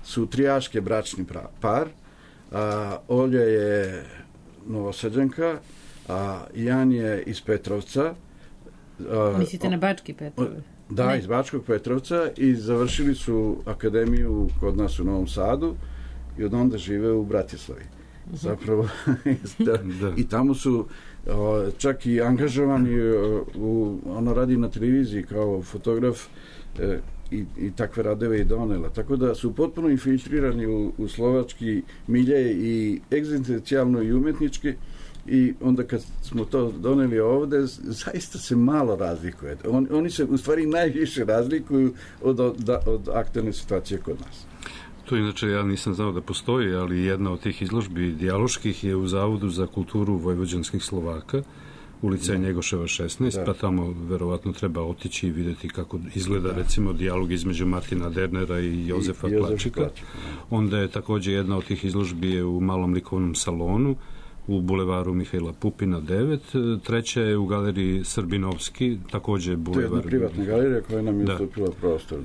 su trijaške bračni par, Olja je Novosađanka, a Jan je iz Petrovca. Mislite na Bački Petrovac? Da, iz Bačkog Petrovca, i završili su akademiju kod nas u Novom Sadu i od onda žive u Bratislavi. Zapravo, i tamo su čak i angažovani, ona radi na televiziji kao fotograf i takve radeve i donela. Tako da su potpuno infiltrirani u slovački milje i egzistencijalno i umetnički, i onda kad smo to doneli ovde, zaista se malo razlikuje. Oni se u stvari najviše razlikuju od aktualne situacije kod nas. To inače ja nisam znao da postoji, ali jedna od tih izložbi dijaloških je u Zavodu za kulturu vojvođanskih Slovaka, ulica Njegoševa 16, pa tamo verovatno treba otići i vidjeti kako izgleda recimo dijalog između Martina Dernera i Jozefa Klačika. Onda je također jedna od tih izložbi je u malom likovnom salonu u bulevaru Mihajla Pupina 9, treća je u galeriji Srbinovski, također bulevar. To je jedna privatna galerija koja nam je ustupila prostor.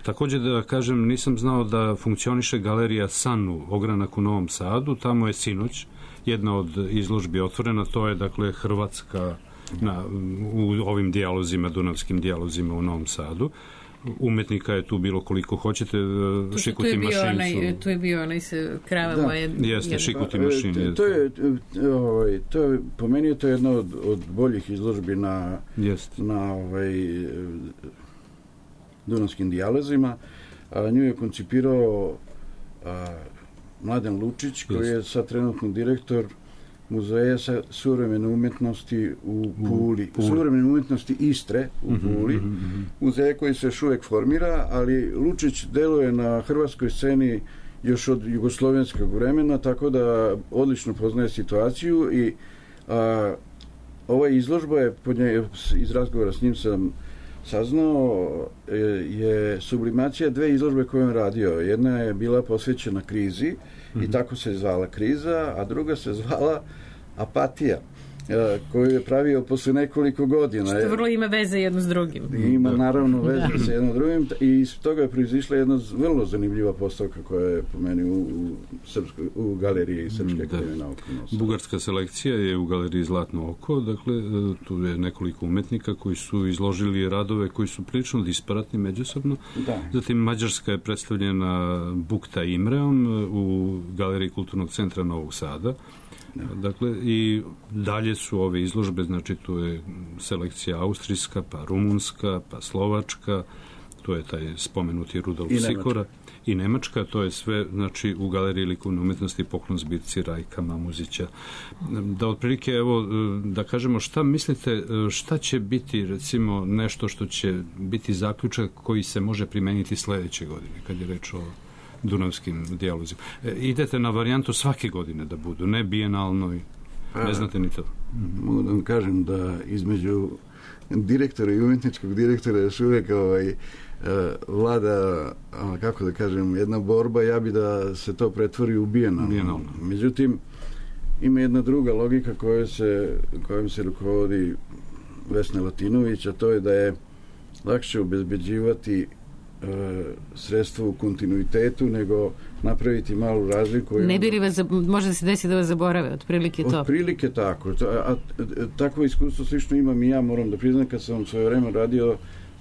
Također da kažem, nisam znao da funkcioniše galerija Sanu, ogranak u Novom Sadu, tamo je sinoć jedna od izložbi otvorena, to je dakle Hrvatska u ovim dijalozima, dunavskim dijalozima u Novom Sadu. Umetnika je tu bilo koliko hoćete, Šikuti Mašin. Tu je bio onaj se kravama. Jeste, Šikuti Mašin. To je, po meni je to jedna od boljih izložbi na dunavskim dijalozima. Nju je koncipirao Mladen Lučić, koji je sad trenutno direktor Muzeja suvremene umetnosti u Puli, suvremene umetnosti Istre u Puli, muzeja koji se još uvek formira, ali Lučić deluje na hrvatskoj sceni još od jugoslovenskog vremena, tako da odlično poznaje situaciju, i ova izložba je, iz razgovora s njim sam saznao, je sublimacija 2 izložbe koje on radio. Jedna je bila posvećena krizi, i tako se zvala Kriza, a druga se zvala Apatija, koju je pravio posle nekoliko godina. Što vrlo ima veze jedno s drugim. Ima naravno veze sa jedno drugim, i iz toga je proizišla jedna vrlo zanimljiva postavka koja je po meni u galeriji Srpske akademije nauka. Bugarska selekcija je u galeriji Zlatno oko, dakle tu je nekoliko umetnika koji su izložili radove koji su prilično disparatni međusobno. Zatim Mađarska je predstavljena Bukta Imreom u galeriji Kulturnog centra Novog Sada. Dakle, i dalje su ove izložbe, znači tu je selekcija austrijska, pa rumunska, pa slovačka, tu je taj spomenuti Rudolf Sikora i Nemačka, to je sve, znači, u galeriji likovne umetnosti, poklon zbirci Rajka Mamuzića. Da otprilike, evo, da kažemo, šta mislite, šta će biti, recimo, nešto što će biti zaključak koji se može primeniti sledeće godine, kad je reč o dunavskim dijalozima. Idete na varijantu svake godine da budu, ne bijenalno, ne znate ni to. Mogu da vam kažem da između direktora i umetničkog direktora još uvijek vlada, kako da kažem, jedna borba, ja bi da se to pretvori u bijenalno. Međutim, ima jedna druga logika kojom se rukovodi Vesna Latinović, a to je da je lakše obezbeđivati sredstvo u kontinuitetu nego napraviti malu razliku. Ne bi li vas, može da se desi da vas zaborave, otprilike to? Otprilike tako. Takvo iskustvo slično imam i ja, moram da priznam, kad sam svoje vreme radio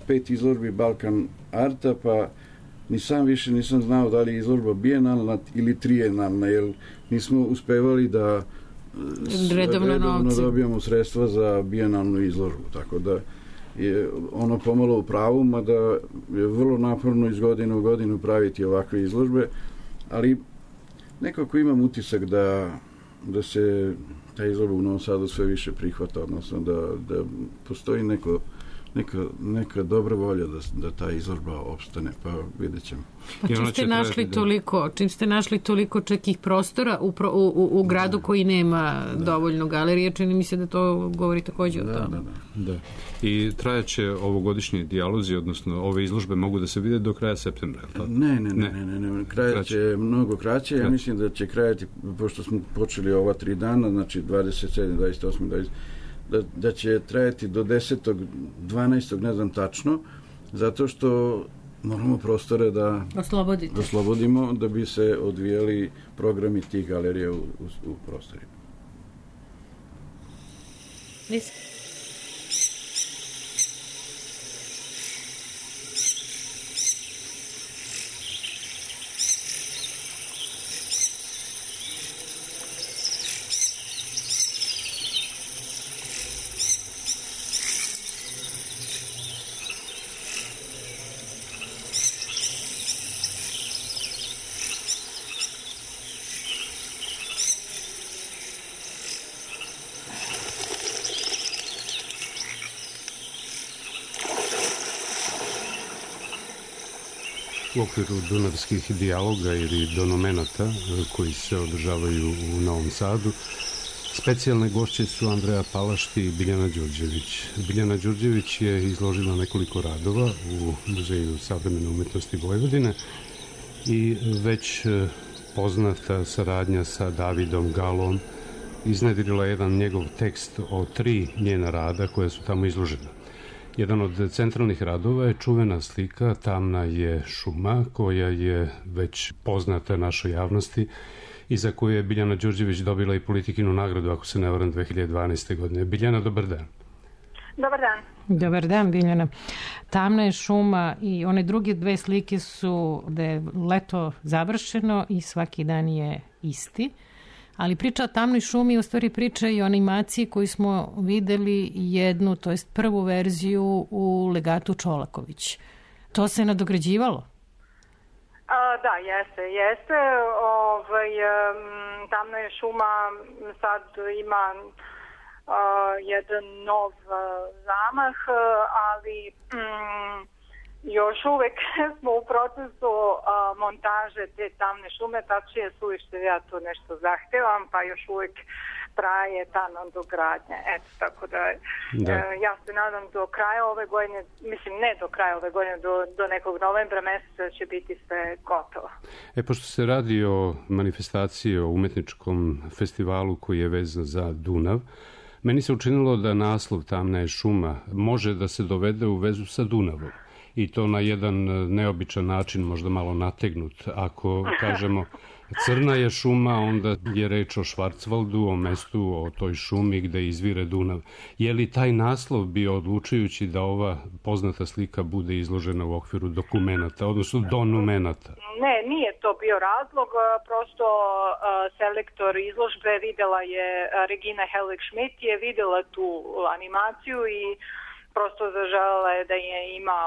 5 izložbi Balkan Arta, pa ni sam više nisam znao da li je izložba bijenalna ili trijenalna, jer nismo uspevali da redovno dobijamo sredstva za bijenalnu izložbu, tako da je ono pomalo u pravu, mada je vrlo naporno iz godine u godinu praviti ovakve izložbe, ali nekako imam utisak da se ta izložba u Novom Sadu sve više prihvata, odnosno da postoji neka dobra volja da ta izložba opstane, pa vidjet ćemo. Čim ste našli toliko čekih prostora u gradu koji nema dovoljno galerije, čini mi se da to govori takođe o tome. Da. I trajaće ovogodišnji dijalozi, odnosno ove izložbe mogu da se vide do kraja septembra? Ne. Krajaće mnogo kraće. Ja mislim da će krajati, pošto smo počeli ova 3 dana, znači 27, 28, 20, da će trajati do 10. 12. ne znam tačno, zato što moramo prostore da oslobodimo da bi se odvijali programi tih galerija u prostorima. U okviru dunavskih dijaloga ili donomenata koji se održavaju u Novom Sadu, specijalne gošće su Andreja Palašti i Biljana Đurđević. Biljana Đurđević je izložila nekoliko radova u Muzeju savremene umetnosti Vojvodine i već poznata saradnja sa Davidom Galom iznedrila jedan njegov tekst o 3 njena rada koja su tamo izložena. Jedan od centralnih radova je čuvena slika Tamna je šuma, koja je već poznata našoj javnosti i za koju je Biljana Đurđević dobila i Politikinu nagradu, ako se ne varam, 2012. godine. Biljana, dobar dan. Dobar dan. Dobar dan, Biljana. Tamna je šuma i one druge 2 slike su da je leto završeno i svaki dan je isti. Ali priča o Tamnoj šumi u stvari priča i o animaciji koju smo videli jednu, to jest prvu verziju u Legatu Čolaković. To se nadograđivalo? Da, jeste. Tamna je šuma sad ima jedan nov zamah, ali još uvek smo u procesu montaže te Tamne šume, tačnije suviše ja to nešto zahtevam, pa još uvek traje ta nadogradnja. Eto, tako da ja se nadam do kraja ove godine, mislim ne do kraja ove godine, do nekog novembra meseca će biti sve gotovo. Pošto se radi o manifestaciji, o umetničkom festivalu koji je vezan za Dunav, meni se učinilo da naslov Tamna je šuma može da se dovede u vezu sa Dunavom. I to na jedan neobičan način, možda malo nategnut. Ako kažemo Crna je šuma, onda je reč o Švarcvaldu, o mestu, o toj šumi gde izvire Dunav. Je li taj naslov bio odlučujući da ova poznata slika bude izložena u okviru dokumenata, odnosno donumenata? Ne, nije to bio razlog, prosto selektor izložbe videla je, Regina Helvig-Schmidt je videla tu animaciju i prosto zaželjela je da je ima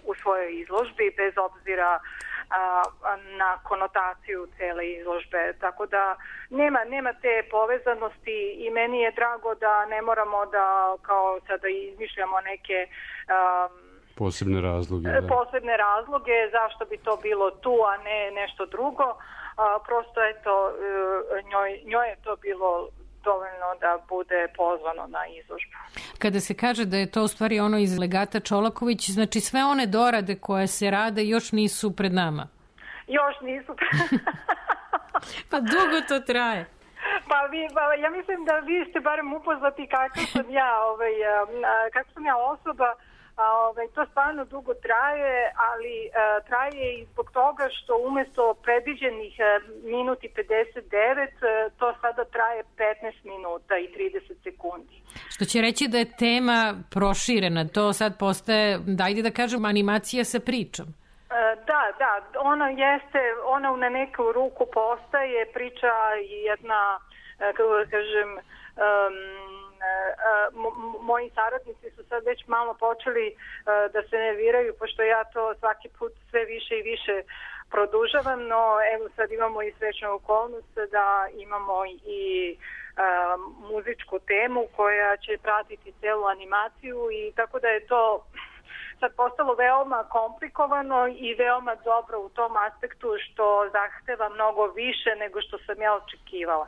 u svojoj izložbi, bez obzira na konotaciju cele izložbe. Tako da nema te povezanosti i meni je drago da ne moramo da kao sada izmišljamo neke posebne razloge. Posebne razloge zašto bi to bilo tu, a ne nešto drugo. Prosto eto, njoj je to bilo dovoljno da bude pozvano na izložbu. Kada se kaže da je to u stvari ono iz Legata Čolaković, znači sve one dorade koje se rade još nisu pred nama? Još nisu pred nama. Pa dugo to traje. Pa ja mislim da vi ste barem upoznati kako sam ja osoba, To stvarno dugo traje, ali traje i zbog toga što umjesto predviđenih minuti 59, to sada traje 15 minuta i 30 sekundi. Što će reći da je tema proširena, to sad postaje, dajde da kažem, animacija sa pričom. Da, ona na neku ruku postaje priča jedna, kako da kažem, moji saradnici su sad već malo počeli da se nerviraju, pošto ja to svaki put sve više i više produžavam, no evo sad imamo i srećnu okolnost da imamo i muzičku temu koja će pratiti celu animaciju i tako da je to sad postalo veoma komplikovano i veoma dobro u tom aspektu što zahteva mnogo više nego što sam ja očekivala.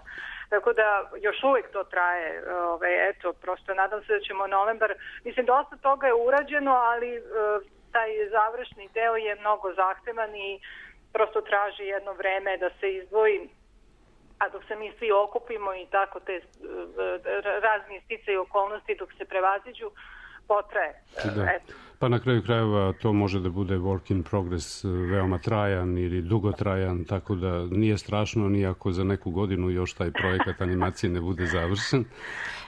Tako da još uvijek to traje, prosto nadam se da ćemo novembar, mislim dosta toga je urađeno, ali taj završni deo je mnogo zahtevan i prosto traži jedno vreme da se izdvoji, a dok se mi svi okupimo i tako te razni sticaji i okolnosti dok se prevaziđu, potraje. Pa na kraju krajeva to može da bude work in progress, veoma trajan ili dugotrajan, tako da nije strašno ni ako za neku godinu još taj projekat animacije ne bude završen.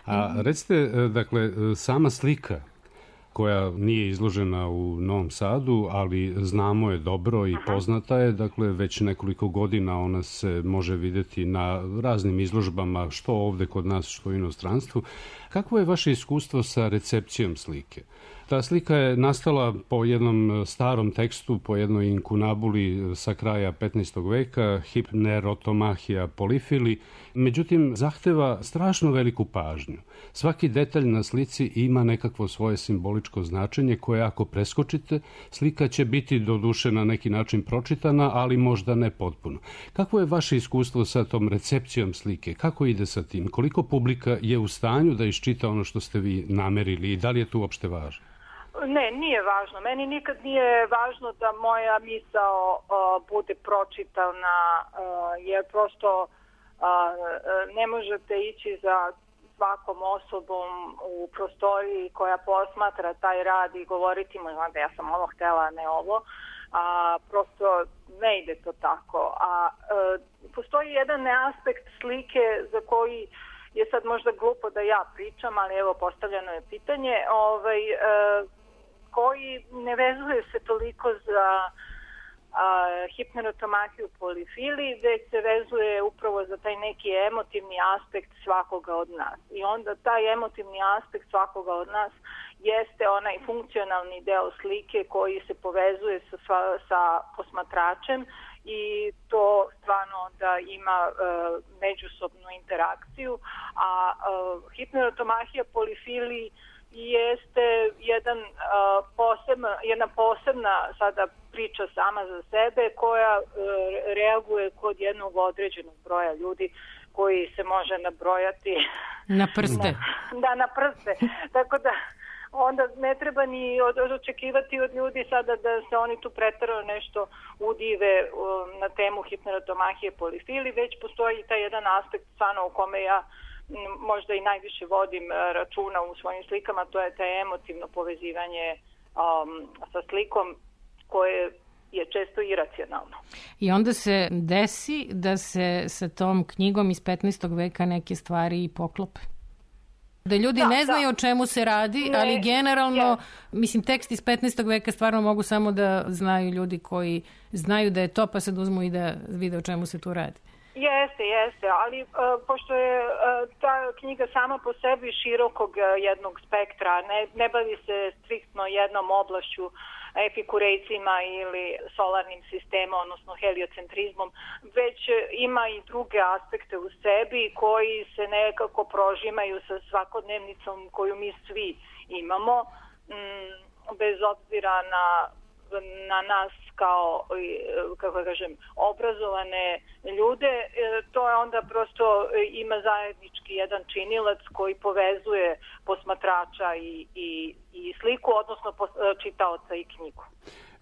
A recite, dakle, sama slika koja nije izložena u Novom Sadu, ali znamo je dobro i poznata je, dakle već nekoliko godina ona se može vidjeti na raznim izložbama, što ovde kod nas, što u inostranstvu. Kakvo je vaše iskustvo sa recepcijom slike? Ta slika je nastala po jednom starom tekstu, po jednoj inkunabuli sa kraja 15. veka, Hypnerotomachia polyphili, međutim zahteva strašno veliku pažnju. Svaki detalj na slici ima nekakvo svoje simboličko značenje koje ako preskočite, slika će biti doduše na neki način pročitana, ali možda ne potpuno. Kako je vaše iskustvo sa tom recepcijom slike? Kako ide sa tim? Koliko publika je u stanju da iščita ono što ste vi namerili i da li je to uopšte važno? Ne, nije važno. Meni nikad nije važno da moja misao bude pročitana, jer prosto ne možete ići za svakom osobom u prostoriji koja posmatra taj rad i govoriti mu da ja sam ovo htjela, a ne ovo. Prosto ne ide to tako. Postoji jedan aspekt slike za koji je sad možda glupo da ja pričam, ali evo postavljeno je pitanje, koji ne vezuje se toliko za Hypnerotomachiju polyphili, već se vezuje upravo za taj neki emotivni aspekt svakoga od nas. I onda taj emotivni aspekt svakoga od nas jeste onaj funkcionalni deo slike koji se povezuje sa posmatračem i to stvarno onda ima međusobnu interakciju. A Hypnerotomachia polyphili jeste jedna posebna sada priča sama za sebe koja reaguje kod jednog određenog broja ljudi koji se može nabrojati na prste. Na prste. Tako da onda ne treba ni očekivati od ljudi sada da se oni tu preterano nešto udive na temu Hypnerotomachije polyphili, već postoji taj jedan aspekt stvarno u kome ja možda i najviše vodim računa u svojim slikama, to je taj emotivno povezivanje sa slikom koje je često iracionalno. I onda se desi da se sa tom knjigom iz 15. veka neke stvari i poklope. Da ljudi ne znaju o čemu se radi, ali generalno, mislim, tekst iz 15. veka stvarno mogu samo da znaju ljudi koji znaju da je to, pa sad uzmu i da vide o čemu se tu radi. Jeste, ali pošto je ta knjiga sama po sebi širokog jednog spektra, ne bavi se striktno jednom oblašću, epikurejcima ili solarnim sistemom, odnosno heliocentrizmom, već ima i druge aspekte u sebi koji se nekako prožimaju sa svakodnevnicom koju mi svi imamo, bez obzira na nas kao, kako kažem, obrazovane ljude. To je onda prosto ima zajednički jedan činilac koji povezuje posmatrača i sliku, odnosno čitaoca i knjigu.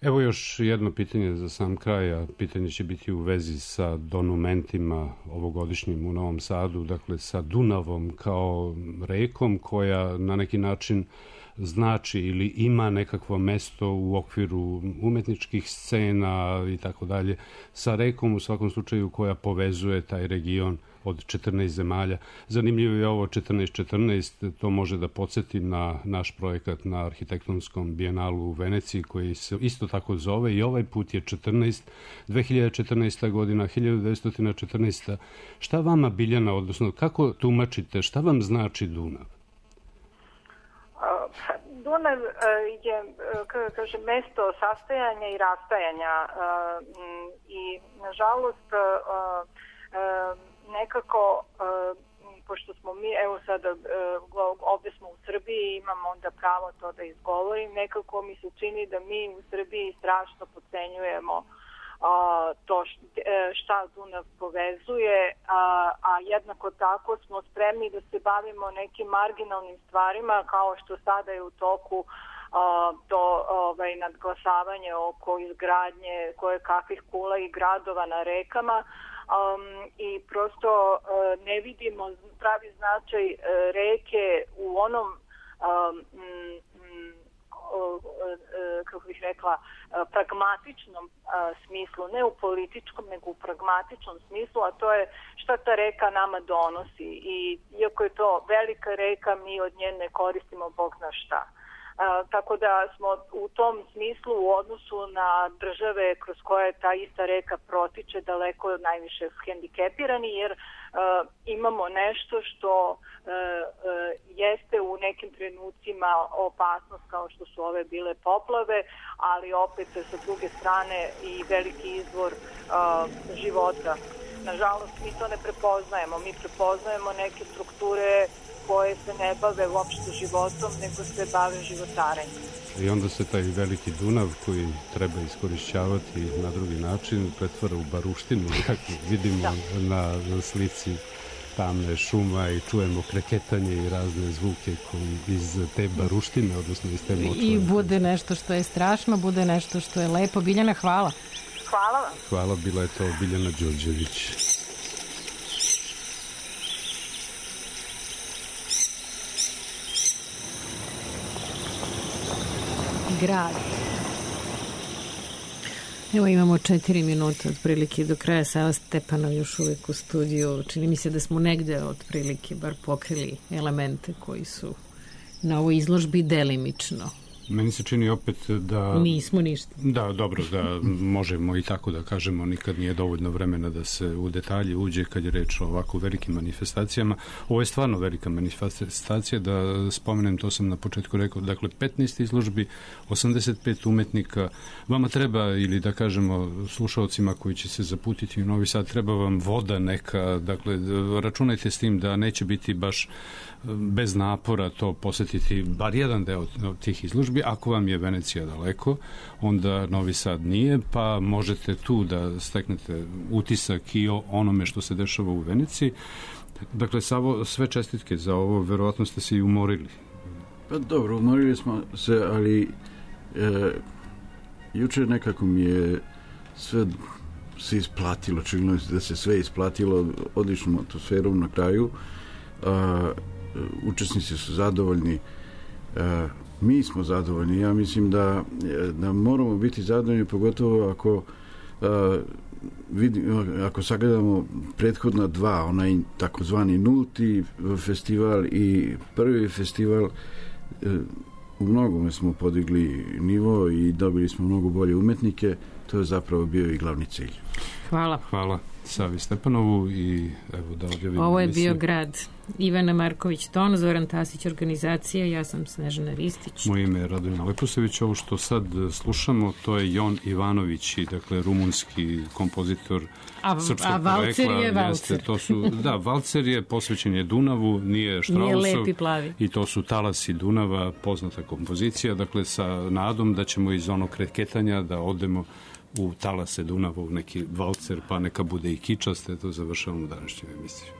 Evo još jedno pitanje za sam kraj, a pitanje će biti u vezi sa donumentima ovogodišnjim u Novom Sadu, dakle sa Dunavom kao rekom koja na neki način znači ili ima nekakvo mesto u okviru umetničkih scena i tako dalje sa rekom u svakom slučaju koja povezuje taj region od 14 zemalja. Zanimljivo je ovo 1414, to može da podsjeti na naš projekat na arhitektonskom bijenalu u Veneciji koji se isto tako zove i ovaj put je 2014. godina, 1914. Šta vama, Biljana, odnosno kako tumačite, šta vam znači Dunav? Dunav je, kaže, mesto sastajanja i rastajanja i nažalost nekako, pošto smo mi, evo sada ovde smo u Srbiji, imamo onda pravo to da izgovorim, nekako mi se čini da mi u Srbiji strašno podcenjujemo to šta Dunav povezuje, a jednako tako smo spremni da se bavimo nekim marginalnim stvarima kao što sada je u toku to nadglasavanje oko izgradnje koje kakvih kula i gradova na rekama. I prosto ne vidimo pravi značaj reke u onom kako bih rekla pragmatičnom smislu, ne u političkom nego u pragmatičnom smislu, a to je šta ta reka nama donosi i iako je to velika reka, mi od nje ne koristimo bog zna šta. Tako da smo u tom smislu u odnosu na države kroz koje ta ista reka protiče daleko najviše hendikepirani, jer imamo nešto što jeste u nekim trenucima opasnost kao što su ove bile poplave, ali opet sa druge strane i veliki izvor života. Nažalost, mi to ne prepoznajemo. Mi prepoznajemo neke strukture koje se ne bave uopšte životom, nego se bave životarenjem. I onda se taj veliki Dunav koji treba iskorišćavati na drugi način pretvara u baruštinu, kako vidimo na slici tamne šuma i čujemo kreketanje i razne zvuke koji iz te baruštine, odnosno iz te močvare. I bude nešto što je strašno, bude nešto što je lepo. Biljana, hvala. Hvala vam. Hvala, bila je to Biljana Đorđević. Grad. Evo imamo 4 minuta otprilike do kraja. Sava Stepanov još uvijek u studiju. Čini mi se da smo negde otprilike bar pokrili elemente koji su na ovoj izložbi delimično. Meni se čini opet da... Nismo ništa. Da, dobro, da možemo i tako da kažemo, nikad nije dovoljno vremena da se u detalje uđe kad je reč o ovako velikim manifestacijama. Ovo je stvarno velika manifestacija, da spomenem, to sam na početku rekao, dakle 15 izložbi, 85 umetnika. Vama treba, ili da kažemo slušalcima koji će se zaputiti u Novi Sad, treba vam voda neka, dakle računajte s tim da neće biti baš bez napora to posjetiti bar jedan deo tih izložbi. Ako vam je Venecija daleko, onda Novi Sad nije, pa možete tu da steknete utisak i o onome što se dešava u Veneciji. Dakle, Savo, sve čestitke za ovo, verovatno ste se i umorili. Pa dobro, umorili smo se, ali juče nekako mi je sve se isplatilo, činilo da se sve isplatilo odličnom atmosferom na kraju. Učesnici su zadovoljni, mi smo zadovoljni. Ja mislim da moramo biti zadovoljni, pogotovo ako sagledamo prethodna dva, onaj takozvani nulti festival i prvi festival. U mnogome smo podigli nivo i dobili smo mnogo bolje umetnike. To je zapravo bio i glavni cilj. Hvala. Hvala Savi Stepanovu i evo da objavim. Ovo je bio Grad. Ivana Marković-Ton, Zoran Tasić, organizacija, ja sam Snežana Ristić. Moje ime je Radomir Leposević. Ovo što sad slušamo, to je Jon Ivanović, dakle rumunski kompozitor srpskog porekla. A valcer je valcer. Da, valcer je posvećen je Dunavu, nije Štrausov. Nije lepi plavi. I to su Talasi Dunava, poznata kompozicija, dakle sa nadom da ćemo iz onog kreketanja da odemo u talase Dunava, u neki valcer, pa neka bude i kičaste. To završavamo današnju emisiju.